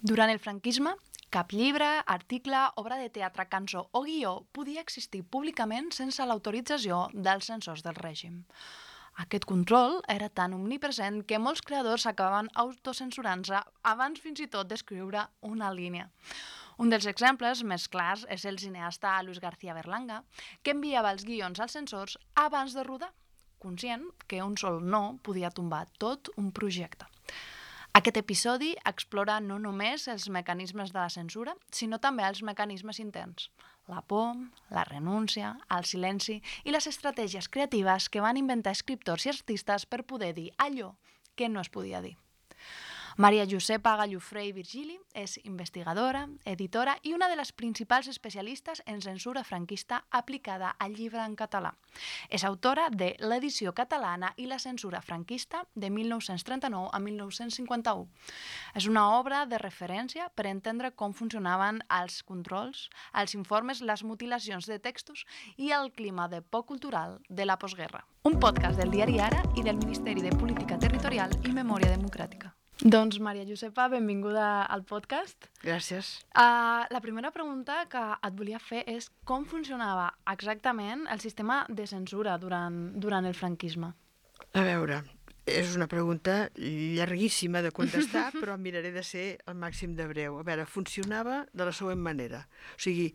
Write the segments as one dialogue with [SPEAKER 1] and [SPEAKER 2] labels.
[SPEAKER 1] Durant el franquisme, cap llibre, article, obra de teatre, cançó o guió podia existir públicament sense l'autorització dels censors del règim. Aquest control era tan omnipresent que molts creadors acabaven autocensurant-se abans fins i tot d'escriure una línia. Un dels exemples més clars és el cineasta Luis García Berlanga, que enviava els guions als censors abans de rodar, conscient que un sol no podia tombar tot un projecte. Aquest episodi explora no només els mecanismes de la censura, sinó també els mecanismes interns. La por, la renúncia, el silenci i les estratègies creatives que van inventar escriptors i artistes per poder dir allò que no es podia dir. Maria Josepa Gallofré i Virgili és investigadora, editora i una de les principals especialistes en censura franquista aplicada al llibre en català. És autora de l'edició catalana i la censura franquista de 1939 a 1951. És una obra de referència per entendre com funcionaven els controls, els informes, les mutilacions de textos i el clima de por cultural de la postguerra. Un podcast del diari Ara i del Ministeri de Política Territorial i Memòria Democràtica. Doncs, Maria Josepa, benvinguda al podcast.
[SPEAKER 2] Gràcies.
[SPEAKER 1] La primera pregunta que et volia fer és com funcionava exactament el sistema de censura durant el franquisme?
[SPEAKER 2] A veure, és una pregunta llarguíssima de contestar, però miraré de ser el màxim de breu. A veure, funcionava de la següent manera. O sigui,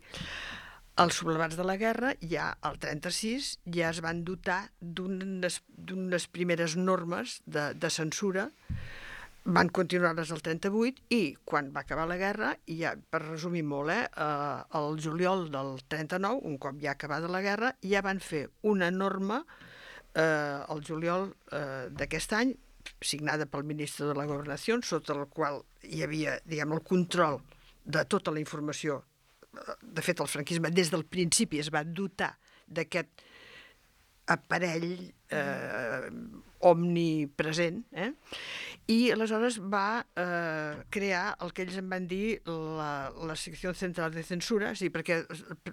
[SPEAKER 2] els sublevats de la guerra, ja al 36, ja es van dotar d'unes primeres normes de censura. Van continuar-les al 38 i quan va acabar la guerra, i ja, per resumir molt, el juliol del 39, un cop ja acabada la guerra, ja van fer una norma el juliol d'aquest any, signada pel ministre de la Governació, sota el qual hi havia, diguem, el control de tota la informació. De fet, el franquisme des del principi es va dotar d'aquest aparell omnipresent, i aleshores va crear el que ells en van dir la secció central de censura, sí, perquè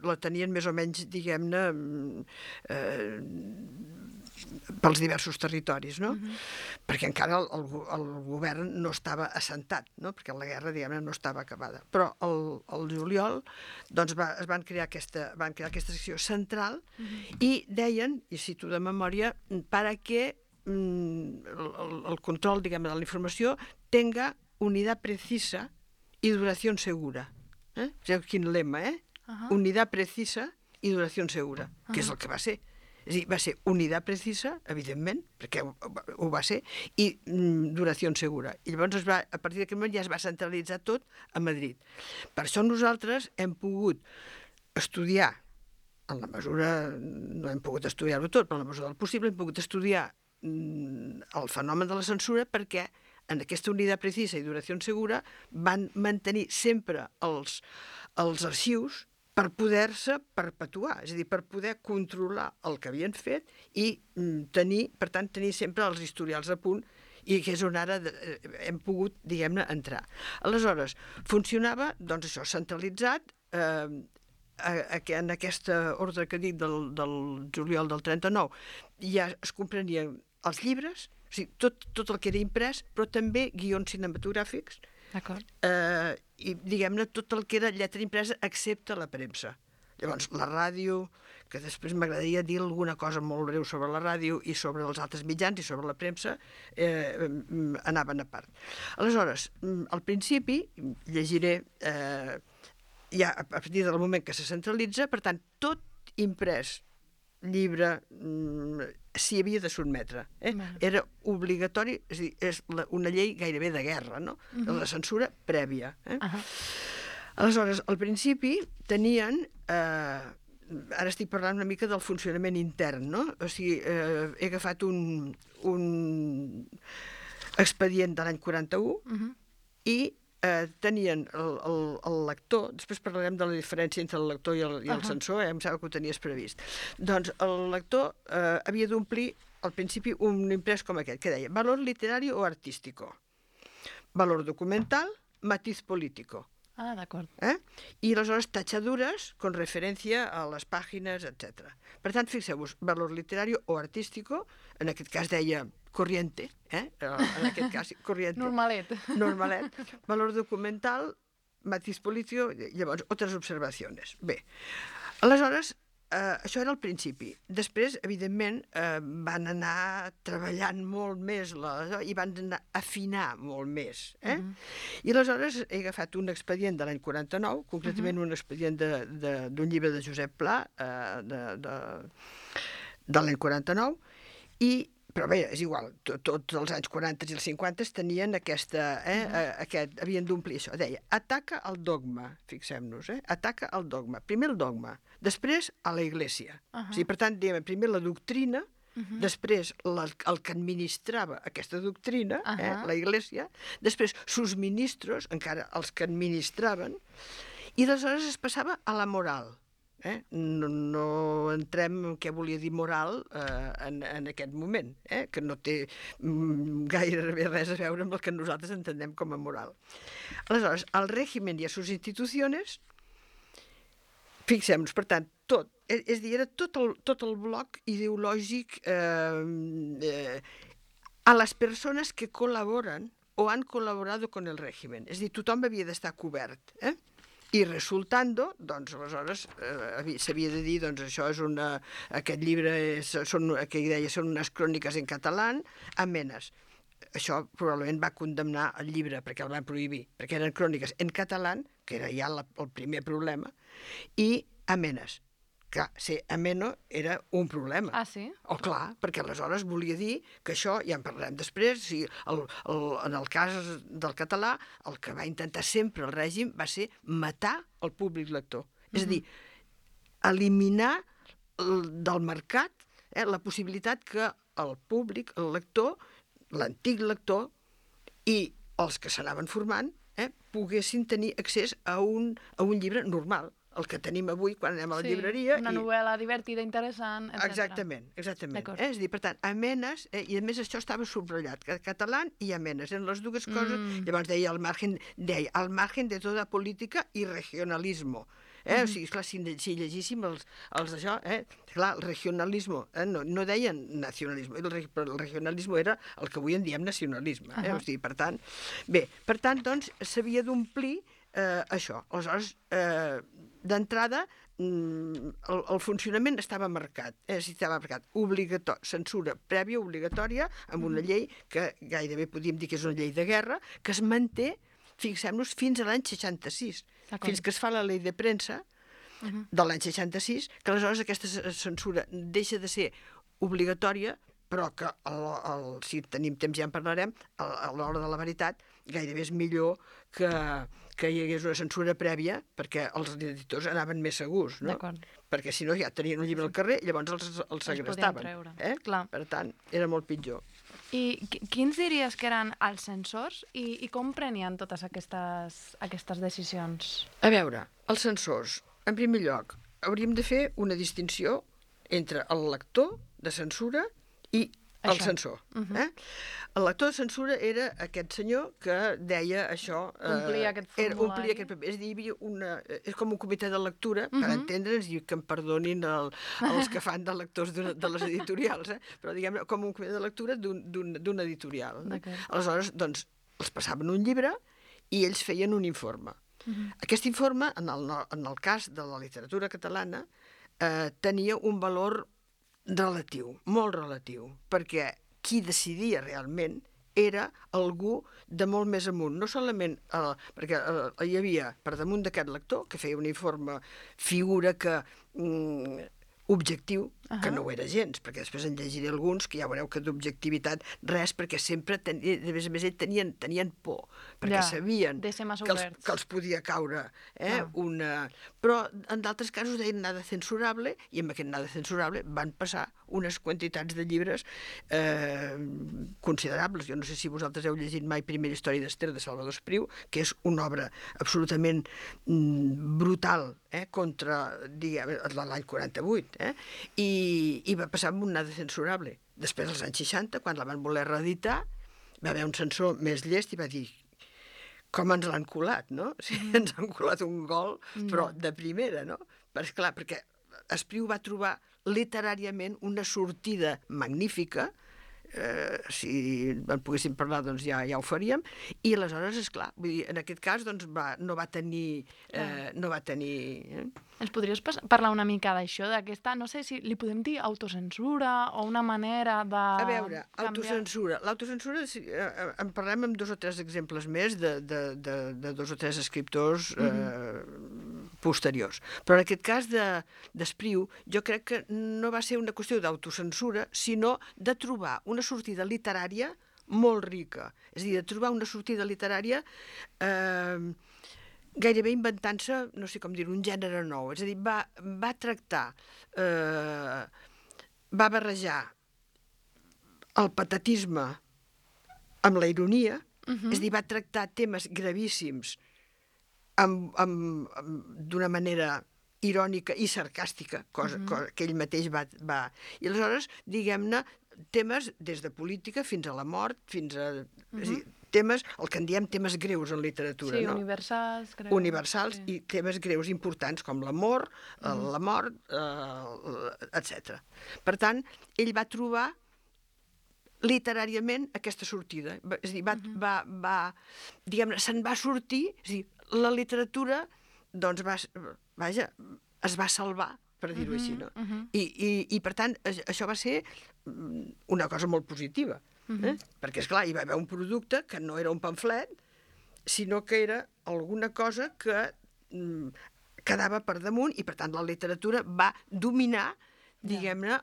[SPEAKER 2] la tenien més o menys, diguem-ne, pels diversos territoris, no? Perquè encara el govern no estava assentat, no? Perquè la guerra, diguem-ne, no estava acabada. Però el juliol doncs es van crear aquesta secció central i deien, i cito de memòria, para que el control, diguem, de la informació tenga unidad precisa y duración segura. Quin lema, Unidad precisa y duración segura, que és el que va ser. És a dir, va ser unitat precisa, evidentment, perquè ho va ser, i duració segura. I llavors, a partir d'aquest moment, ja es va centralitzar tot a Madrid. Per això nosaltres hem pogut estudiar, en la mesura, no hem pogut estudiar-ho tot, però en la mesura del possible hem pogut estudiar el fenomen de la censura perquè en aquesta unitat precisa i duració segura van mantenir sempre els arxius per poder-se perpetuar, és a dir, per poder controlar el que havien fet i per tant, tenir sempre els historials a punt, i que és on ara hem pogut, diguem-ne, entrar. Aleshores, funcionava, doncs això, centralitzat, en aquesta ordre que dic del juliol del 39, ja es comprenien els llibres, o sigui, tot el que era imprès, però també guions cinematogràfics, i, diguem-ne, tot el que era lletra impresa, excepte la premsa. Llavors, la ràdio, que després m'agradaria dir alguna cosa molt breu sobre la ràdio i sobre els altres mitjans i sobre la premsa, anaven a part. Aleshores, al principi, llegiré ja a partir del moment que se centralitza, per tant, tot imprès, llibre, s'hi havia de sotmetre. Era obligatori, és a dir, és una llei gairebé de guerra, no? La censura prèvia. Aleshores, al principi tenien, ara estic parlant una mica del funcionament intern, no? O sigui, he agafat un expedient de l'any 41 i tenien el lector, després parlarem de la diferència entre el lector i el censor, em sembla que ho tenies previst. Doncs el lector havia d'omplir al principi un imprès com aquest, que deia valor literario o artístico, valor documental, matiz político.
[SPEAKER 1] Ah, d'acord.
[SPEAKER 2] I aleshores tachadures con referència a les pàgines, etc. Per tant, fixeu-vos, valor literario o artístico, en aquest cas deia corriente, en aquest cas, corriente.
[SPEAKER 1] Normalet.
[SPEAKER 2] Normalet. Valor documental, matiz político, llavors, otras observaciones. Bé, aleshores, això era el principi. Després, evidentment, van anar treballant molt més i van anar afinar molt més. I aleshores he agafat un expedient de l'any 49, concretament un expedient d'un llibre de Josep Pla, de l'any 49, però bé, és igual, tots els anys 40 i els 50 tenien havien d'omplir això. Deia, ataca el dogma, fixem-nos, ataca el dogma. Primer el dogma, després a la Iglesia. O sigui, per tant, diguem, primer la doctrina, després el que administrava aquesta doctrina, la Iglesia, després sus ministros, encara els que administraven, i aleshores es passava a la moral. No entrem en què volia dir moral en aquest moment, que no té gairebé res a veure amb el que nosaltres entendem com a moral. Aleshores, el règim i a sus institucions, fixem-nos, per tant, tot, és a dir, era tot el bloc ideològic a les persones que col·laboren o han col·laborado con el régimen. És a dir, tothom havia d'estar cobert, I resultando, doncs, aleshores, s'havia de dir, doncs, això és aquest llibre, que deia, són unes cròniques en català, amenes. Això probablement va condemnar el llibre, perquè el van prohibir, perquè eren cròniques en català, que era ja el primer problema, i amenes. Clar, ser ameno era un problema.
[SPEAKER 1] Ah, sí?
[SPEAKER 2] Oh, clar, perquè aleshores volia dir que això, ja en parlarem després, en el cas del català, el que va intentar sempre el règim va ser matar el públic lector. És a dir, eliminar del mercat la possibilitat que el públic, el lector, l'antic lector i els que s'anaven formant poguessin tenir accés a un llibre normal, el que tenim avui quan anem a la llibreria.
[SPEAKER 1] Una novel·la divertida, interessant, etc.
[SPEAKER 2] Exactament. És a dir, per tant, amenes, i a més això estava subratllat, català i amenes, eren les dues coses. Llavors deia, al margen de tota política i regionalismo. O sigui, clar, si llegíssim els d'això, clar, el regionalismo, no deien nacionalisme, el regionalisme era el que avui en diem nacionalisme. O sigui, per tant, doncs, s'havia d'omplir això. Aleshores, d'entrada, el funcionament estava marcat, censura prèvia obligatòria amb una llei que gairebé podíem dir que és una llei de guerra, que es manté, fixem-nos, fins a l'any 66, fins que es fa la llei de premsa de l'any 66, que aleshores aquesta censura deixa de ser obligatòria, però que, si tenim temps ja en parlarem, a l'hora de la veritat, gairebé és millor que hi hagués una censura prèvia, perquè els editors anaven més segurs, no? Perquè si no ja tenien un llibre al carrer i llavors els segrestaven. Per tant, era molt pitjor.
[SPEAKER 1] I quins diries que eren els censors i com prenien totes aquestes decisions?
[SPEAKER 2] A veure, els censors, en primer lloc, hauríem de fer una distinció entre el lector de censura i el censor. El lector de censura era aquest senyor que deia això...
[SPEAKER 1] Omplia aquest formulari.
[SPEAKER 2] És a dir, és com un comitè de lectura, per entendre'ns, i que em perdonin els que fan de lectors de les editorials, però diguem com un comitè de lectura d'un editorial. Aleshores, doncs, els passaven un llibre i ells feien un informe. Aquest informe, en el cas de la literatura catalana, tenia un valor relatiu, molt relatiu, perquè qui decidia realment era algú de molt més amunt, no solament perquè hi havia per damunt d'aquest lector que feia un informe, figura que objectiu, que no ho era gens, perquè després en llegiré alguns que ja veureu que d'objectivitat res, perquè sempre, a més a més, tenien por, perquè sabien que els podia caure una... Però en d'altres casos deien nada censurable, i amb aquest nada censurable van passar unes quantitats de llibres considerables. Jo no sé si vosaltres heu llegit mai Primera història d'Ester de Salvador Espriu, que és una obra absolutament brutal contra, diguem, l'any 48, i va passar amb un nada censurable. Després, als anys 60, quan la van voler reeditar, va haver un censor més llest i va dir com ens l'han colat, no? O sigui, ens han colat un gol, però de primera, no? Perquè Espriu va trobar literàriament una sortida magnífica si en poguéssim parlar, doncs ja ho faríem, i aleshores, esclar, vull dir, en aquest cas doncs, no va tenir...
[SPEAKER 1] Ens podries parlar una mica d'això, d'aquesta, no sé si li podem dir autocensura o una manera de
[SPEAKER 2] A veure,
[SPEAKER 1] canviar...
[SPEAKER 2] l'autocensura, en parlem amb 2 o 3 exemples més de 2 o 3 escriptors posteriors. Però en aquest cas d'Espriu, jo crec que no va ser una qüestió d'autocensura, sinó de trobar una sortida literària molt rica. És a dir, de trobar una sortida literària gairebé inventant-se, no sé com dir, un gènere nou. És a dir, va tractar, va barrejar el patatisme amb la ironia, és a dir, va tractar temes gravíssims d'una manera irònica i sarcàstica, cosa que ell mateix va... I aleshores, diguem-ne, temes des de política fins a la mort, fins a... És a dir, temes, el que en diem temes greus en literatura,
[SPEAKER 1] sí,
[SPEAKER 2] no?
[SPEAKER 1] Universals, crec.
[SPEAKER 2] Universals, sí. I temes greus importants com l'amor, la mort, etc. Per tant, ell va trobar literàriament aquesta sortida. És a dir, diguem-ne, se'n va sortir, és a dir, la literatura, doncs, es va salvar, per dir-ho així, no? I, per tant, això va ser una cosa molt positiva, perquè, esclar, hi va haver un producte que no era un pamflet, sinó que era alguna cosa que quedava per damunt i, per tant, la literatura va dominar, diguem-ne,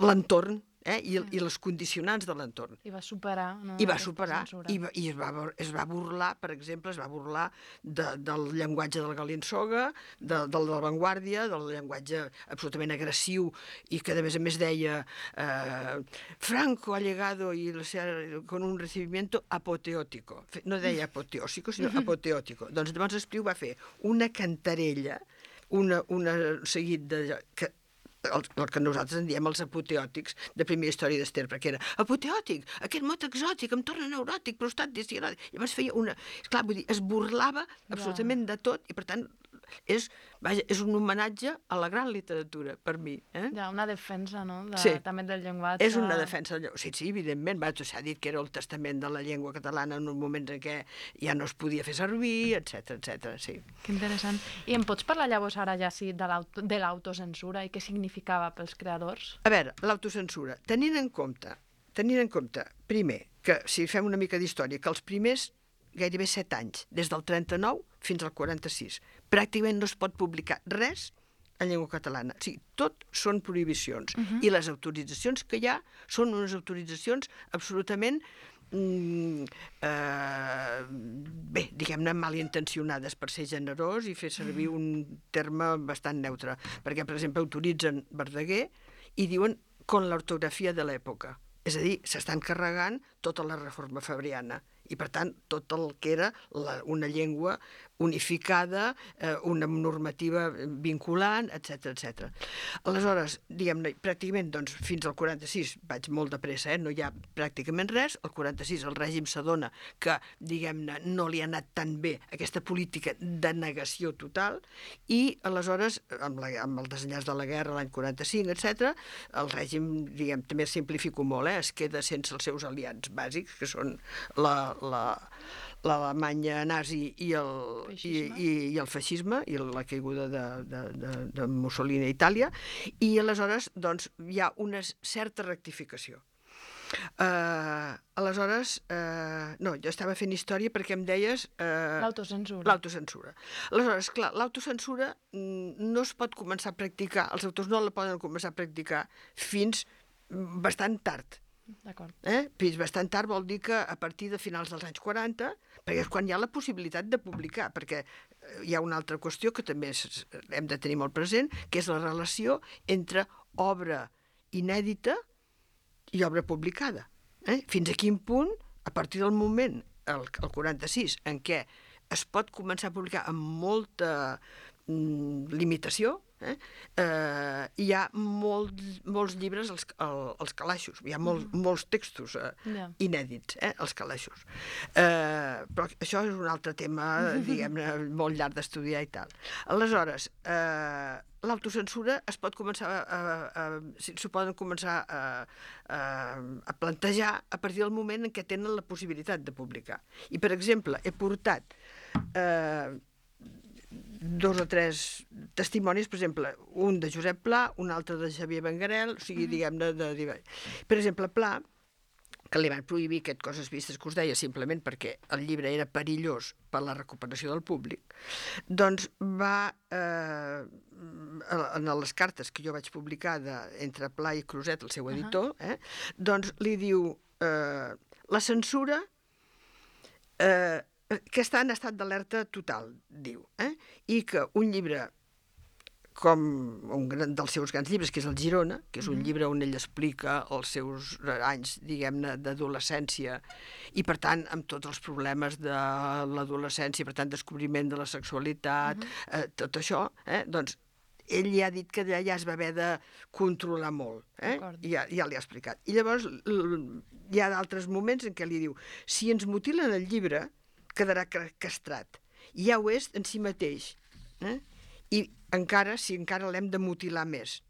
[SPEAKER 2] l'entorn i les condicionants de l'entorn.
[SPEAKER 1] I va superar, no?
[SPEAKER 2] I va superar, i es va burlar, per exemple, del llenguatge del Galinsoga, de l'avantguàrdia, del llenguatge absolutament agressiu, i que a més deia Franco ha llegado con un recibimiento apoteótico. No deia apoteósico, sinó apoteótico. Doncs llavors Espriu va fer una cantarella, un seguit de... el que nosaltres en diem els apoteòtics de primera història d'Ester, perquè era apoteòtic, aquest mot exòtic, em torna neuròtic, prostat, discialòtic. Llavors feia una... Esclar, vull dir, es burlava absolutament de tot i, per tant, és un homenatge a la gran literatura, per mi.
[SPEAKER 1] Ja, una defensa, no?
[SPEAKER 2] Sí.
[SPEAKER 1] També del llenguatge.
[SPEAKER 2] És una defensa. Sí, evidentment. S'ha dit que era el testament de la llengua catalana en un moment en què ja no es podia fer servir, etc. Sí.
[SPEAKER 1] Que interessant. I em pots parlar llavors ara ja sí de l'autocensura i què significava pels creadors?
[SPEAKER 2] A veure, l'autocensura. Tenint en compte, primer, que si fem una mica d'història, que els primers gairebé 7 anys, des del 39 fins al 46, pràcticament no es pot publicar res en llengua catalana. O sigui, tot són prohibicions. I les autoritzacions que hi ha són unes autoritzacions absolutament diguem-ne, malintencionades, per ser generós i fer servir un terme bastant neutre. Perquè, per exemple, autoritzen Verdaguer i diuen con l'ortografia de l'època. És a dir, s'estan carregant tota la reforma fabriana i, per tant, tot el que era una llengua unificada, una normativa vinculant, etc. Aleshores, diguem-ne, pràcticament, doncs, fins al 46, vaig molt de pressa, no hi ha pràcticament res, al 46 el règim s'adona que, diguem-ne, no li ha anat tan bé aquesta política de negació total i, aleshores, amb el desenllaç de la guerra l'any 45, etc., el règim, diguem, també simplifico molt, es queda sense els seus aliats bàsics, que són l'Alemanya nazi i el feixisme i la caiguda de Mussolini a Itàlia, i aleshores doncs, hi ha una certa rectificació. Aleshores, no, jo estava fent història perquè em deies... L'autocensura. Aleshores, clar, l'autocensura no es pot començar a practicar, els autors no la poden començar a practicar fins bastant tard.
[SPEAKER 1] D'acord.
[SPEAKER 2] Fins bastant tard vol dir que a partir de finals dels anys 40, perquè és quan hi ha la possibilitat de publicar, perquè hi ha una altra qüestió que també hem de tenir molt present, que és la relació entre obra inèdita i obra publicada. Fins a quin punt, a partir del moment, el 46, en què es pot començar a publicar amb molta limitació, Hi ha molts llibres als calaixos, hi ha molts textos inèdits, als calaixos. Però això és un altre tema, diguem-ne, molt llarg d'estudiar i tal. Aleshores, l'autocensura s'ho poden començar a plantejar a partir del moment en què tenen la possibilitat de publicar. I, per exemple, he portat 2 o 3 testimonis, per exemple, un de Josep Pla, un altre de Xavier Benguerel, o sigui, diguem-ne, per exemple, Pla, que li van prohibir aquest Coses vistes que us deia simplement perquè el llibre era perillós per la recuperació del públic, doncs va, en les cartes que jo vaig publicar entre Pla i Creuset, el seu editor, doncs li diu la censura que està en estat d'alerta total, diu, i que un llibre com un dels seus grans llibres, que és el Girona, que és un llibre on ell explica els seus anys, diguem-ne, d'adolescència, i per tant, amb tots els problemes de l'adolescència, per tant, descobriment de la sexualitat, tot això, doncs, ell ja ha dit que ja es va haver de controlar molt, ja li ha explicat. I llavors hi ha d'altres moments en què li diu, si ens mutilen el llibre, quedarà castrat. Ja ho és en si mateix, i encara, si encara l'hem de mutilar més.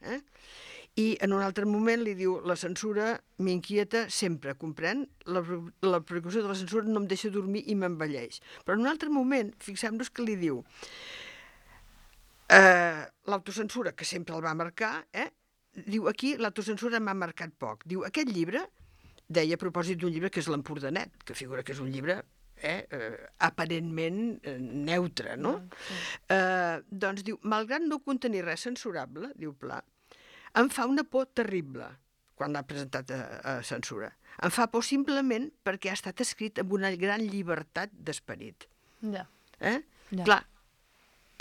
[SPEAKER 2] I en un altre moment li diu, la censura m'inquieta sempre, comprèn? La preocupació de la censura no em deixa dormir i m'envelleix. Però en un altre moment, fixem-nos que li diu, l'autocensura, que sempre el va marcar, diu, aquí l'autocensura m'ha marcat poc. Diu, aquest llibre, deia a propòsit d'un llibre que és l'Empordanet, que figura que és un llibre aparentment neutre, no? Doncs diu, malgrat no contenir res censurable, diu Pla, em fa una por terrible quan l'ha presentat a censura. Em fa por simplement perquè ha estat escrit amb una gran llibertat d'esperit. Clar,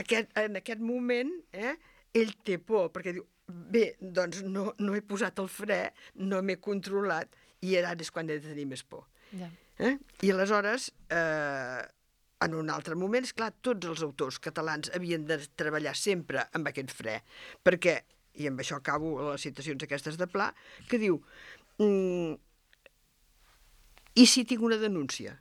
[SPEAKER 2] en aquest moment ell té por, perquè diu, bé, doncs no he posat el fre, no m'he controlat, i ara és quan he de tenir més por. I aleshores, en un altre moment, esclar, tots els autors catalans havien de treballar sempre amb aquest fre, perquè, i amb això acabo les citacions aquestes de Pla, que diu, i si tinc una denúncia?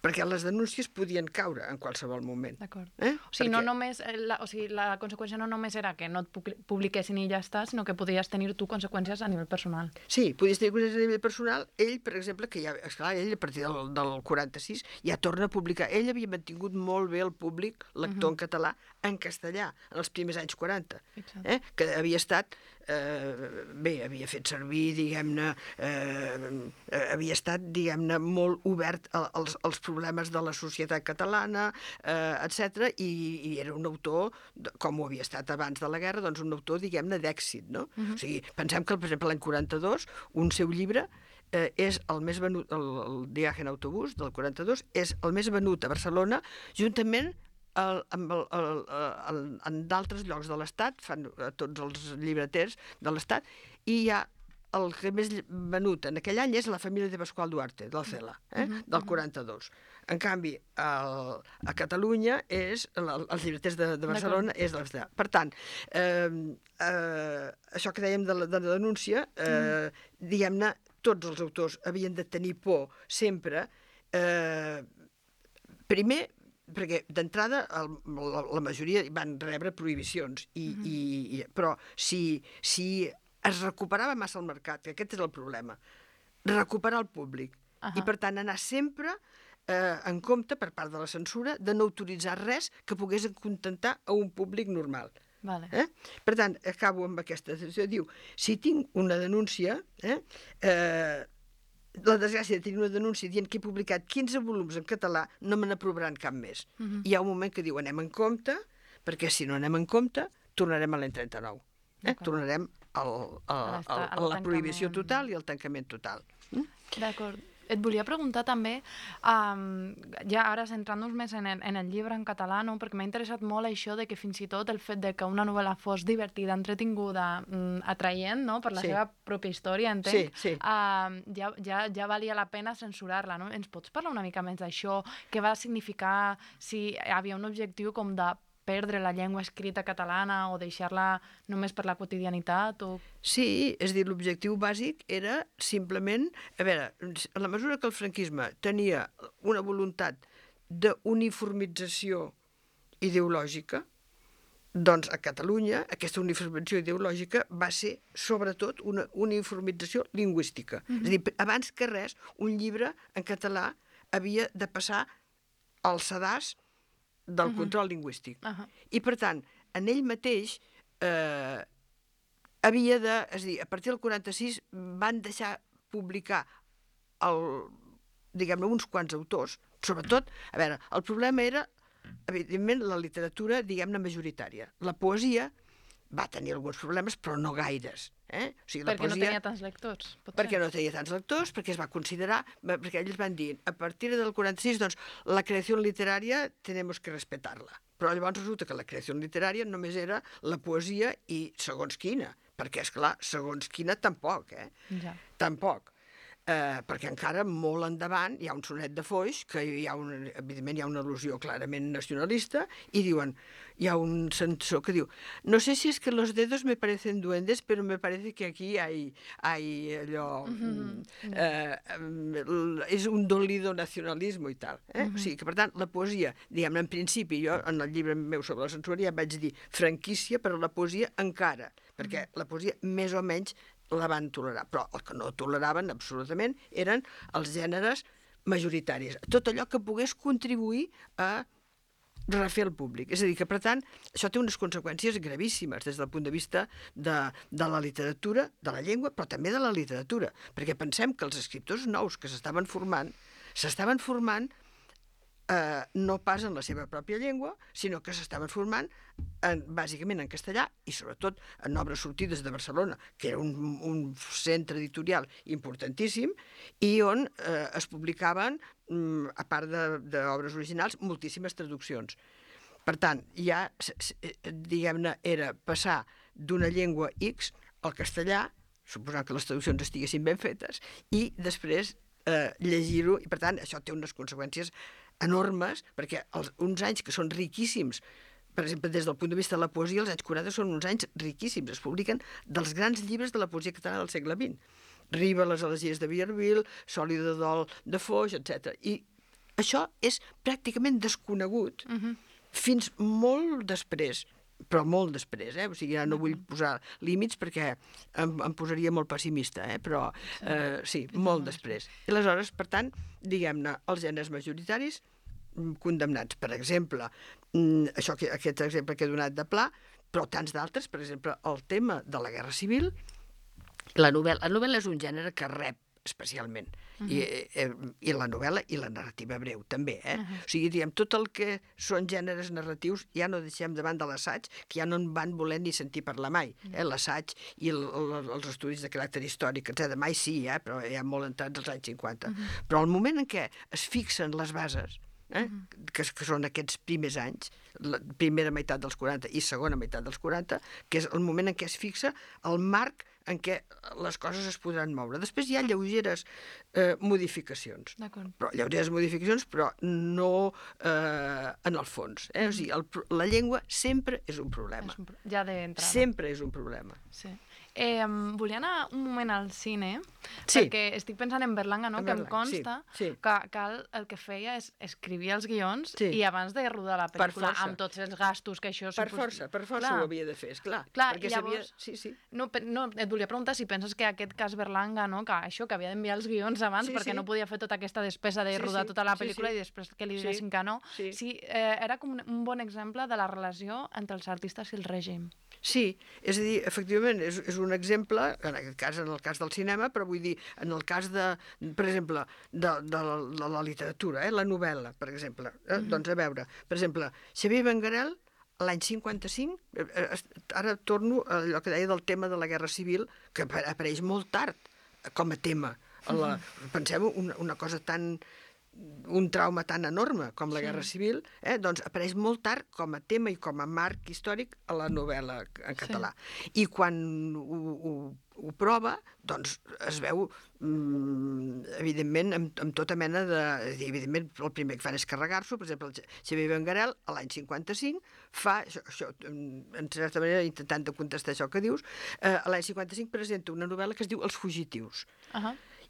[SPEAKER 2] Perquè les denúncies podien caure en qualsevol moment.
[SPEAKER 1] D'acord. O sigui, no només, la conseqüència no només era que no et publiquessin i ja està, sinó que podries tenir tu conseqüències a nivell personal.
[SPEAKER 2] Sí, podies tenir conseqüències a nivell personal. Ell, per exemple, que ja, esclar, ell a partir del 46 ja torna a publicar. Ell havia mantingut molt bé el públic lector en català, en castellà, en els primers anys 40, que havia estat, havia fet servir, diguem-ne, havia estat, diguem-ne, molt obert als problemes de la societat catalana, etc. I era un autor, com ho havia estat abans de la guerra, doncs un autor, diguem-ne, d'èxit, no? O sigui, pensem que, per exemple, l'any 42, un seu llibre és el més venut, el Viaje en autobús, del 42, és el més venut a Barcelona, juntament en d'altres llocs de l'Estat, fan tots els llibreters de l'Estat, i hi ha el que més venut en aquell any és La família de Pasqual Duarte, del Cela, del 42. En canvi, a Catalunya, els llibreters de Barcelona és de l'Estat. Per tant, això que dèiem de la denúncia, diguem-ne, tots els autors havien de tenir por sempre, primer, perquè d'entrada la majoria van rebre prohibicions, però si es recuperava massa el mercat, que aquest és el problema, recuperar el públic, i per tant anar sempre en compte, per part de la censura, de no autoritzar res que pogués acontentar a un públic normal. Per tant, acabo amb aquesta decisió. Diu, si tinc una denúncia, la desgràcia de tenir una denúncia dient que he publicat 15 volums en català, no me n'aprovaran cap més. Hi ha un moment que diu, anem en compte, perquè si no anem en compte, tornarem a l'any 39. Tornarem a la prohibició total i al tancament total.
[SPEAKER 1] D'acord. Et volia preguntar també, ja ara centrant-nos més en el llibre en català, no? Perquè m'ha interessat molt això de que fins i tot el fet de que una novel·la fos divertida, entretinguda, atraient, no? Per la seva pròpia història, entenc, ja valia la pena censurar-la, no? Ens pots parlar una mica més d'això? Què va significar, si hi havia un objectiu com de perdre la llengua escrita catalana o deixar-la només per la quotidianitat?
[SPEAKER 2] Sí, és a dir, l'objectiu bàsic era simplement... A veure, a la mesura que el franquisme tenia una voluntat d'uniformització ideològica, doncs a Catalunya aquesta uniformització ideològica va ser sobretot una uniformització lingüística. És a dir, abans que res, un llibre en català havia de passar al sedàs del control lingüístic. I, per tant, en ell mateix havia de... És a dir, a partir del 46 van deixar publicar diguem-ne, uns quants autors. Sobretot, a veure, el problema era, evidentment, la literatura, diguem-ne, majoritària. La poesia va tenir alguns problemes, però no gaires. O sigui, la
[SPEAKER 1] perquè
[SPEAKER 2] poesia...
[SPEAKER 1] no tenia tants lectors, potser.
[SPEAKER 2] Perquè no tenia tants lectors, perquè es va considerar, perquè ells van dir, a partir del 46, doncs, la creació literària tenemos que respetar-la. Però llavors resulta que la creació literària només era la poesia i segons quina, perquè, esclar, segons quina tampoc,
[SPEAKER 1] Ja.
[SPEAKER 2] Tampoc. Perquè encara molt endavant hi ha un sonet de Foix, que evidentment hi ha una al·lusió clarament nacionalista, i diuen, hi ha un censor que diu, no sé si es que los dedos me parecen duendes, pero me parece que aquí hay allò... és un dolido nacionalismo i tal. O sigui que, per tant, la poesia, diguem-ne, en principi, jo en el llibre meu sobre la censura ja vaig dir franquícia, però la poesia encara, perquè la poesia més o menys la van tolerar, però el que no toleraven absolutament eren els gèneres majoritaris. Tot allò que pogués contribuir a refer el públic. És a dir, que per tant, això té unes conseqüències gravíssimes des del punt de vista de la literatura, de la llengua, però també de la literatura, perquè pensem que els escriptors nous que s'estaven formant no pas en la seva pròpia llengua, sinó que s'estaven formant bàsicament en castellà i sobretot en obres sortides de Barcelona, que era un centre editorial importantíssim i on es publicaven, a part d'obres originals, moltíssimes traduccions. Per tant, ja, diguem-ne, era passar d'una llengua X al castellà, suposant que les traduccions estiguessin ben fetes, i després llegir-ho, i per tant això té unes conseqüències enormes, perquè uns anys que són riquíssims, per exemple, des del punt de vista de la poesia, els anys 40 són uns anys riquíssims, es publiquen dels grans llibres de la poesia catalana del segle XX. Riba, les elegies de Villarville, Soli de Dol de Foix, etc. I això és pràcticament desconegut fins molt després, però molt després, o sigui, ja no vull posar límits perquè em posaria molt pessimista, però sí, molt després. I aleshores, per tant, diguem-ne, els gèneres majoritaris condemnats. Per exemple, aquest exemple que he donat de Pla, però tants d'altres, per exemple, el tema de la Guerra Civil, la novel·la és un gènere que rep especialment, i la novel·la i la narrativa breu també, O sigui, diguem, tot el que són gèneres narratius ja no deixem davant de l'assaig, que ja no en van voler ni sentir parlar mai, l'assaig i els estudis de caràcter històric, etc. Mai sí, però ja molt entrats als anys 50. Però al moment en què es fixen les bases, que són aquests primers anys, la primera meitat dels 40 i segona meitat dels 40, que és el moment en què es fixa el marc en què les coses es podran moure. Després hi ha lleugeres modificacions. Però lleugeres modificacions, però no en el fons. O sigui, la llengua sempre és un problema.
[SPEAKER 1] Ja d'entrada.
[SPEAKER 2] Sempre és un problema.
[SPEAKER 1] Sí. Volia anar un moment al cine,
[SPEAKER 2] Sí.
[SPEAKER 1] perquè estic pensant en Berlanga, no?
[SPEAKER 2] En
[SPEAKER 1] Que em
[SPEAKER 2] Berlanga,
[SPEAKER 1] consta
[SPEAKER 2] sí.
[SPEAKER 1] que el que feia és escrivir els guions
[SPEAKER 2] Sí.
[SPEAKER 1] i abans de rodar la pel·lícula,
[SPEAKER 2] força.
[SPEAKER 1] amb tots els gastos que això...
[SPEAKER 2] Per força ho havia de fer, esclar.
[SPEAKER 1] Clar,
[SPEAKER 2] perquè
[SPEAKER 1] llavors...
[SPEAKER 2] Sí.
[SPEAKER 1] No, et volia preguntar si penses que aquest cas Berlanga, no? Que això, que havia d'enviar els guions abans perquè no podia fer tota aquesta despesa de rodar tota la pel·lícula i després que li diguessin que no. Sí, era com un bon exemple de la relació entre els artistes i el règim.
[SPEAKER 2] Sí, és a dir, efectivament, és un exemple, en aquest cas, en el cas del cinema, però vull dir, en el cas per exemple, de la literatura, la novel·la, per exemple. Doncs a veure, per exemple, Xavier Benguerel, l'any 55, ara torno a allò que deia del tema de la Guerra Civil, que apareix molt tard com a tema. Pensem una cosa tan un trauma tan enorme com la Guerra Civil, doncs apareix molt tard com a tema i com a marc històric a la novel·la en català. I quan ho prova, doncs es veu, evidentment, amb tota mena de... Evidentment, el primer que fan és carregar-s'ho. Per exemple, el Xavier Benguerel, a l'any 55, fa, això, en certa manera, intentant de contestar això que dius, a l'any 55 presenta una novel·la que es diu Els fugitius.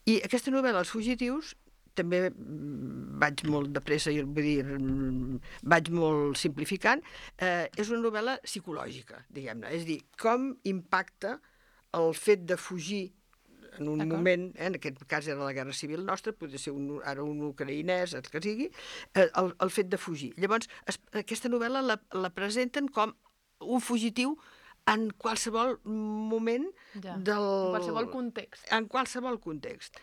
[SPEAKER 2] I aquesta novel·la, Els fugitius, també vaig molt de pressa, vull dir, vaig molt simplificant, és una novel·la psicològica, diguem-ne. És a dir, com impacta el fet de fugir en un moment, en aquest cas era la Guerra Civil nostra, podria ser ara un ucraïnès, el que sigui, el fet de fugir. Llavors, aquesta novel·la la presenten com un fugitiu en qualsevol moment del...
[SPEAKER 1] En qualsevol context.
[SPEAKER 2] En qualsevol context.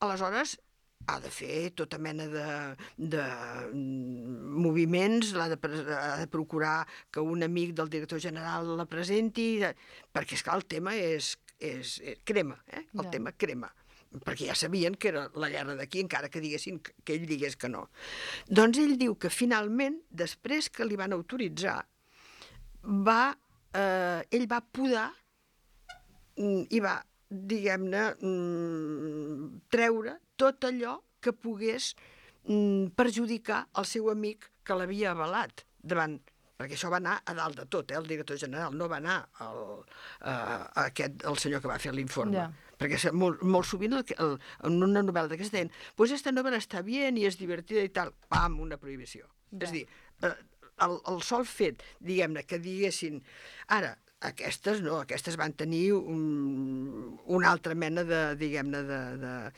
[SPEAKER 2] Aleshores, ha de fer tota mena de moviments, ha de procurar que un amic del director general la presenti, perquè, esclar, el tema és crema, el tema crema, perquè ja sabien que era la guerra d'aquí, encara que diguessin que ell digués que no. Doncs ell diu que finalment, després que li van autoritzar, ell va podar i va, diguem-ne, treure tot allò que pogués perjudicar el seu amic que l'havia avalat davant, perquè això va anar a dalt de tot, el director general, no va anar el senyor que va fer l'informe. Perquè molt sovint en una novel·la d'aquesta deien, pues esta novel·la està bien i és divertida i tal, pam, una prohibició. És a dir, el sol fet, diguem-ne, que diguessin, ara, aquestes no, aquestes van tenir una altra mena de, diguem-ne,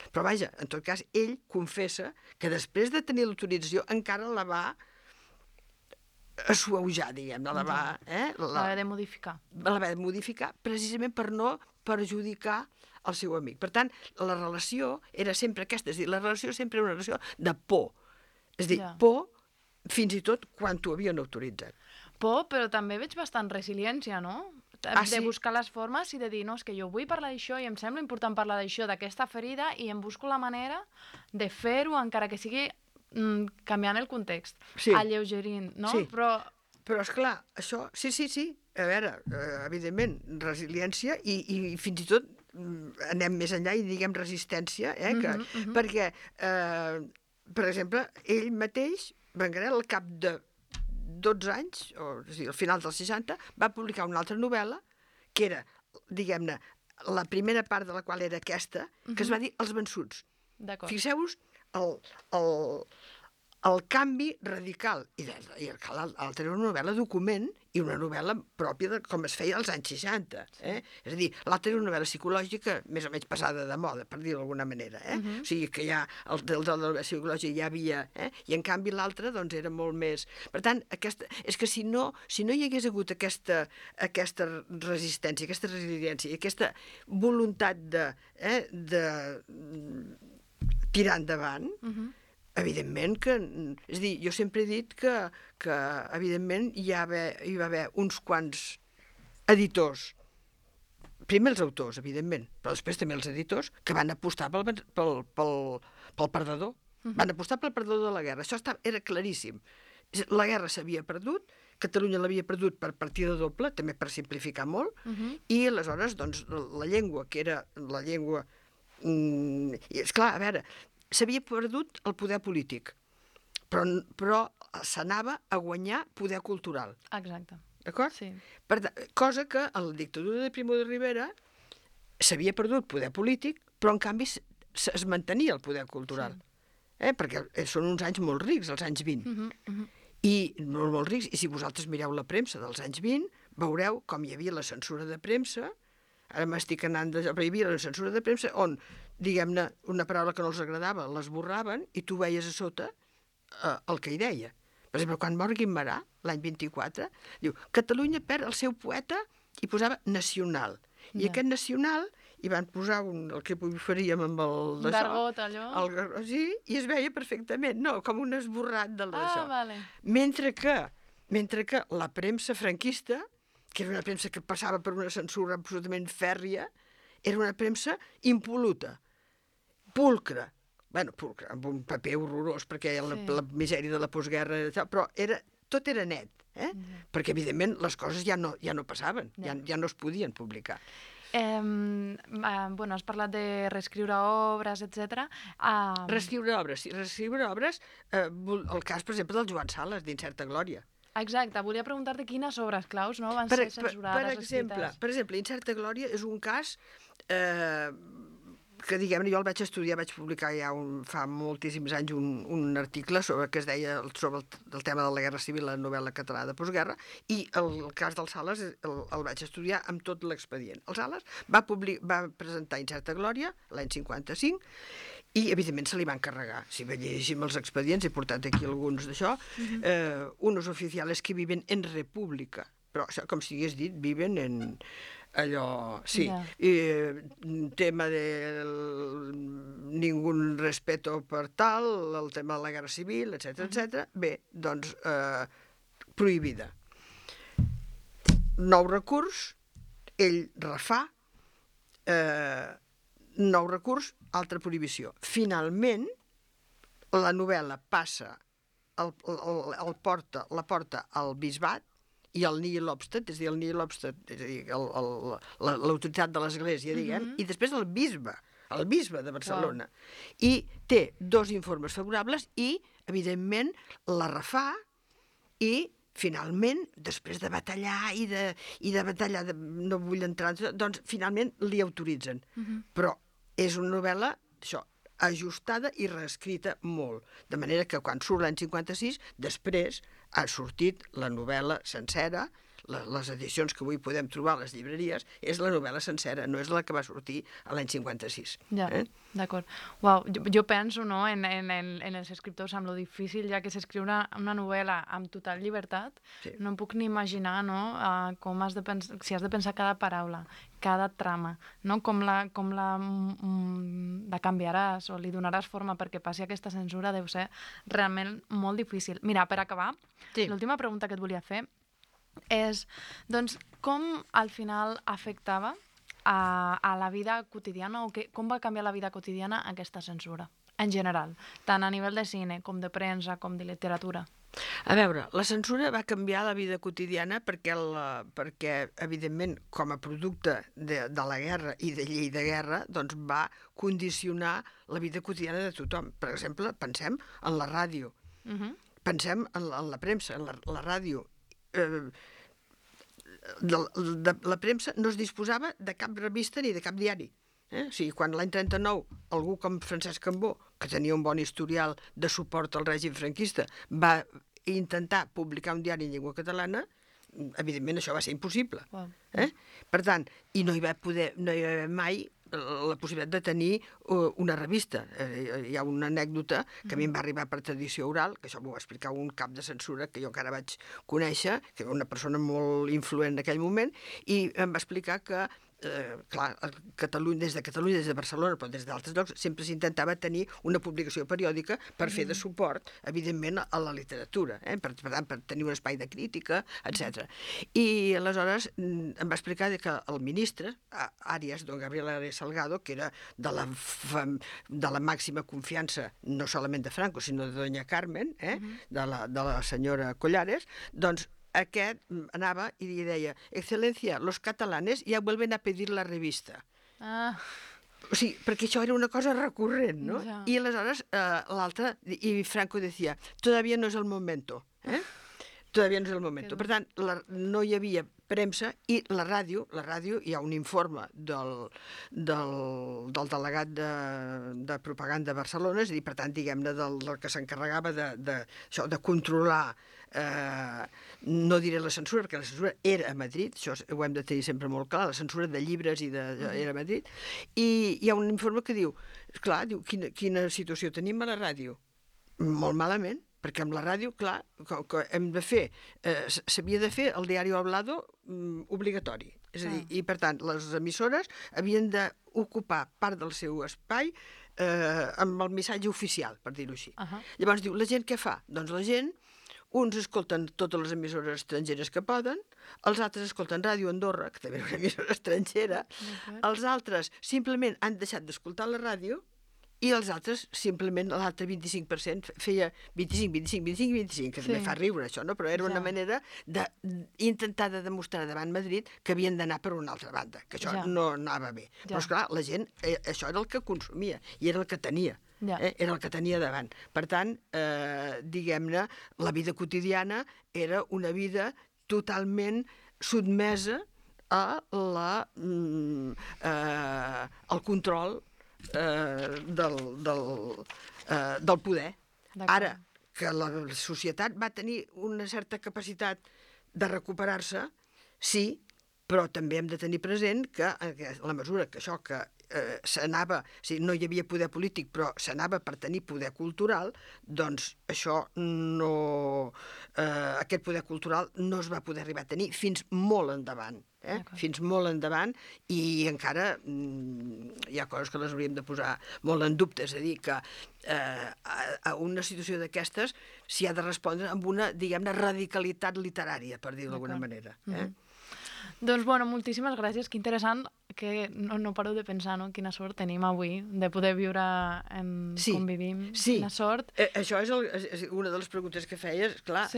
[SPEAKER 2] Però vaja, en tot cas, ell confessa que després de tenir l'autorització encara la va assuaujar, diguem-ne, la va...
[SPEAKER 1] Va haver de modificar.
[SPEAKER 2] La va haver de modificar precisament per no perjudicar el seu amic. Per tant, la relació era sempre aquesta, és a dir, la relació sempre era una relació de por. És a dir, por fins i tot quan t'ho havien autoritzat.
[SPEAKER 1] Por, però també veig bastant resiliència, no? De buscar les formes i de dir, no, és que jo vull parlar d'això i em sembla important parlar d'això, d'aquesta ferida, i em busco la manera de fer-ho, encara que sigui canviant el context, alleugerint, no?
[SPEAKER 2] Sí. Però esclar, això, sí, a veure, evidentment, resiliència i fins i tot anem més enllà i diguem resistència, perquè, per exemple, ell mateix, Benguerel, al cap de 12 anys, és a dir, al final dels 60, va publicar una altra novel·la, que era, diguem-ne, la primera part de la qual era aquesta, que es va dir Els vençuts. Fixeu-vos el canvi radical. I l'altra era una novel·la document i una novel·la pròpia de com es feia als anys 60. És a dir, l'altra era una novel·la psicològica més o menys passada de moda, per dir-ho d'alguna manera. O sigui que ja el de la novel·la psicològica ja havia... I en canvi l'altra doncs era molt més... Per tant, és que si no hi hagués hagut aquesta resistència, aquesta resiliència i aquesta voluntat de tirar endavant, evidentment que... És a dir, jo sempre he dit que evidentment hi va haver uns quants editors, primer els autors, evidentment, però després també els editors, que van apostar pel perdedor. Van apostar pel perdedor de la guerra. Això era claríssim. La guerra s'havia perdut, Catalunya l'havia perdut per partida doble, també per simplificar molt, i aleshores, doncs, la llengua, que era la llengua... I, esclar, a veure, s'havia perdut el poder polític, però s'anava a guanyar poder cultural.
[SPEAKER 1] Exacte.
[SPEAKER 2] D'acord?
[SPEAKER 1] Sí.
[SPEAKER 2] Cosa que a la dictadura de Primo de Rivera s'havia perdut poder polític, però en canvi es mantenia el poder cultural. Perquè són uns anys molt rics, els anys 20. I molt rics, i si vosaltres mireu la premsa dels anys 20, veureu com hi havia la censura de premsa. Ara m'estic anant però hi havia la censura de premsa on, diguem-ne, una paraula que no els agradava, l'esborraven i tu veies a sota el que hi deia. Per exemple, quan mor Guimerà, l'any 24, diu, Catalunya perd el seu poeta i posava nacional. I aquest nacional hi van posar el que faríem amb el d'això.
[SPEAKER 1] Gargot, allò?
[SPEAKER 2] Sí, i es veia perfectament, no, com un esborrat del d'això.
[SPEAKER 1] Vale.
[SPEAKER 2] Mentre que la premsa franquista, que era una premsa que passava per una censura absolutament fèrria, era una premsa impol·luta, pulcra, bueno, amb un paper horrorós, perquè
[SPEAKER 1] Sí.
[SPEAKER 2] la misèria de la postguerra, però tot era net, perquè evidentment les coses ja no passaven, ja no es podien publicar.
[SPEAKER 1] Bueno, has parlat de reescriure obres, etc.
[SPEAKER 2] Reescriure obres, el cas, per exemple, del Joan Sales, d'Incerta Glòria.
[SPEAKER 1] Exacte, volia preguntar-te quines obres claus no, van ser censurades, reescrites.
[SPEAKER 2] Per exemple, Incerta Glòria és un cas que, diguem-ne, jo el vaig estudiar, vaig publicar ja fa moltíssims anys un article que es deia sobre el tema de la Guerra Civil, la novel·la catalana de postguerra, i el cas del Sales el vaig estudiar amb tot l'expedient. El Sales va presentar Incerta Glòria l'any 55 i, evidentment, se li van carregar. Si llegeixim els expedients, he portat aquí alguns d'això, unos oficiales que viven en república, però això, com si hagués dit, viven en allò, sí, tema de ningún respeto per tal, el tema de la guerra civil, etc. Bé, doncs, prohibida. Nou recurs, ell refà, nou recurs, altra prohibició. Finalment, la novel·la passa, la porta al bisbat, i el Nihil Obstat, és a dir, el Nihil Obstat, és a dir, l'autoritat de l'Església, diguem, i després el bisbe de Barcelona. I té 2 informes favorables i, evidentment, la refà i, finalment, després de batallar i de batallar, no vull entrar, doncs, finalment li autoritzen. Però és una novel·la, això, ajustada i reescrita molt. De manera que quan surt l'any 56, després ha sortit la novel·la sencera, les edicions que avui podem trobar a les llibreries, és la novel·la sencera, no és la que va sortir a l'any 56.
[SPEAKER 1] Ja, d'acord. Uau, jo penso, no, en els escriptors, amb lo difícil ja que és escriure una novel·la amb total llibertat, no em puc ni imaginar, no, com has de pensar, si has de pensar cada paraula, cada trama, no? Com la canviaràs o li donaràs forma perquè passi aquesta censura deu ser realment molt difícil. Mira, per acabar, l'última pregunta que et volia fer és, doncs, com al final afectava a la vida quotidiana o com va canviar la vida quotidiana aquesta censura, en general, tant a nivell de cine com de premsa com de literatura?
[SPEAKER 2] A veure, la censura va canviar la vida quotidiana perquè, evidentment, com a producte de la guerra i de llei de guerra, doncs va condicionar la vida quotidiana de tothom. Per exemple, pensem en la ràdio, pensem en la premsa, en la ràdio. La premsa no es disposava de cap revista ni de cap diari. O sigui, quan l'any 39 algú com Francesc Cambó, que tenia un bon historial de suport al règim franquista, va intentar publicar un diari en llengua catalana, evidentment això va ser impossible. Per tant, i no hi va haver mai la possibilitat de tenir una revista. Hi ha una anècdota que a mi em va arribar per tradició oral, que això m'ho va explicar un cap de censura que jo encara vaig conèixer, que era una persona molt influent en aquell moment, i em va explicar que clar, des de Barcelona, però des d'altres llocs, sempre s'intentava tenir una publicació periòdica per fer de suport, evidentment, a la literatura, per tenir un espai de crítica, etc. I aleshores em va explicar que el ministre, don Gabriel Arias Salgado, que era de la màxima confiança, no solament de Franco, sinó de doña Carmen, de la senyora Collares, doncs aquest anava i li deia: Excelencia, los catalanes ya vuelven a pedir la revista. O sigui, perquè això era una cosa recurrent, no? I aleshores l'altre, i Franco decía, todavía no es el momento, todavía no és el moment. Per tant, no hi havia premsa i la ràdio, hi ha un informe del delegat de propaganda de Barcelona, és a dir, per tant, diguem-ne, del que s'encarregava de controlar, no diré la censura, perquè la censura era a Madrid, això ho hem de tenir sempre molt clar, la censura de llibres era a Madrid, i hi ha un informe que diu, clar, quina situació tenim a la ràdio? Molt malament, perquè amb la ràdio, clar, que hem de fer, s'havia de fer el diari hablado obligatori. És a dir, i per tant, les emissores havien d'ocupar part del seu espai amb el missatge oficial, per dir-ho així. Llavors diu, la gent què fa? Doncs la gent, uns escolten totes les emissores estrangeres que poden, els altres escolten Ràdio Andorra, que també és una emissora estrangera, els altres simplement han deixat d'escoltar la ràdio i els altres, simplement, l'altre 25% feia 25, 25, 25, 25, que també fa riure això, no? Però era una manera d'intentar de demostrar davant Madrid que havien d'anar per una altra banda, que això no anava bé. Però, esclar, la gent, això era el que consumia i era el que tenia. Era el que tenia davant. Per tant, diguem-ne, la vida quotidiana era una vida totalment sotmesa al control del poder. Ara, que la societat va tenir una certa capacitat de recuperar-se, sí, però també hem de tenir present que en la mesura que això que s'anava, o sigui, no hi havia poder polític, però s'anava per tenir poder cultural, doncs això no... aquest poder cultural no es va poder arribar a tenir fins molt endavant. Fins molt endavant, i encara hi ha coses que les hauríem de posar molt en dubte, és a dir, que a una situació d'aquestes s'hi ha de respondre amb una, diguem-ne, radicalitat literària, per dir-ho d'alguna manera.
[SPEAKER 1] Doncs, bueno, moltíssimes gràcies, que interessant, que no paro de pensar, no?, quina sort tenim avui de poder viure com vivim, quina sort.
[SPEAKER 2] Això és una de les preguntes que feies, clar,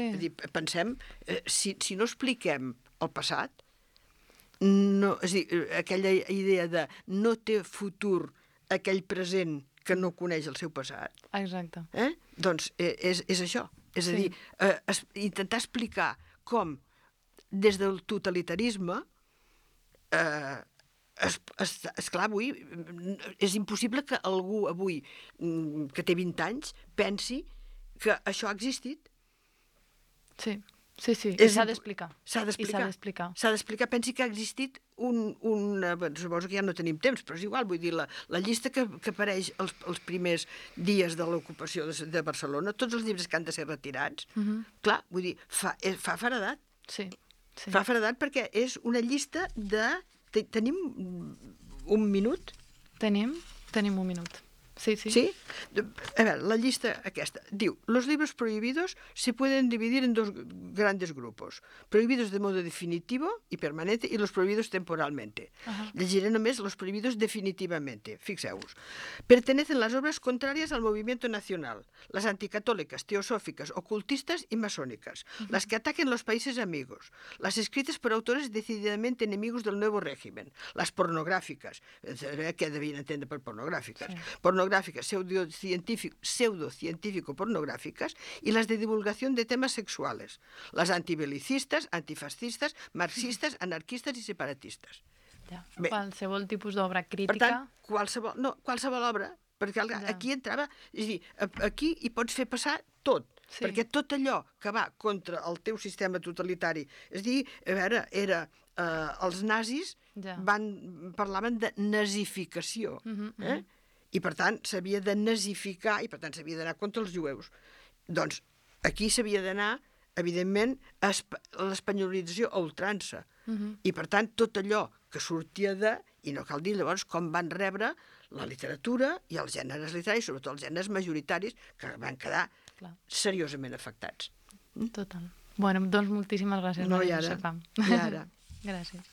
[SPEAKER 2] pensem, si no expliquem el passat, no, és a dir, aquella idea de no té futur aquell present que no coneix el seu passat.
[SPEAKER 1] Exacte.
[SPEAKER 2] Doncs és això. És a dir, intentar explicar com des del totalitarisme esclar, avui és impossible que algú avui que té 20 anys pensi que això ha existit.
[SPEAKER 1] Sí. Sí, s'ha d'explicar.
[SPEAKER 2] S'ha d'explicar. Pensi que ha existit suposo que ja no tenim temps, però és igual, vull dir, la llista que apareix els primers dies de l'ocupació de Barcelona, tots els llibres que han de ser retirats, clar, vull dir, fa feredat.
[SPEAKER 1] Sí.
[SPEAKER 2] Fa feredat perquè és una llista de... Tenim un minut?
[SPEAKER 1] Tenim un minut. Sí.
[SPEAKER 2] A ver, la lista aquesta diu: los libros prohibidos se pueden dividir en dos grandes grupos, prohibidos de modo definitivo y permanente y los prohibidos temporalmente. Llegiré només los prohibidos definitivamente. Fixeu-vos. Pertenecen las obras contrarias al movimiento nacional, las anticatólicas, teosóficas, ocultistas y masónicas, las que ataquen los países amigos, las escritas por autores decididamente enemigos del nuevo régimen, las pornográficas, què devien entendre per pornográficas, pseudocientífico-pornográficas y las de divulgación de temas sexuales, las antibelicistas, antifascistas, marxistes, anarquistes i separatistes.
[SPEAKER 1] Qualsevol tipus d'obra crítica.
[SPEAKER 2] Per tant, qualsevol obra, perquè aquí entrava, és a dir, aquí hi pots fer passar tot, perquè tot allò que va contra el teu sistema totalitari, és a dir, a veure, els nazis parlaven de nazificació, i per tant s'havia de nazificar i per tant s'havia d'anar contra els jueus. Doncs aquí s'havia d'anar, evidentment, a l'espanyolització a ultrança. I per tant tot allò que sortia i no cal dir llavors com van rebre la literatura i els gèneres literaris, sobretot els gèneres majoritaris, que van quedar seriosament afectats.
[SPEAKER 1] Total. Bueno, doncs moltíssimes gràcies.
[SPEAKER 2] No, i ara.
[SPEAKER 1] Gràcies.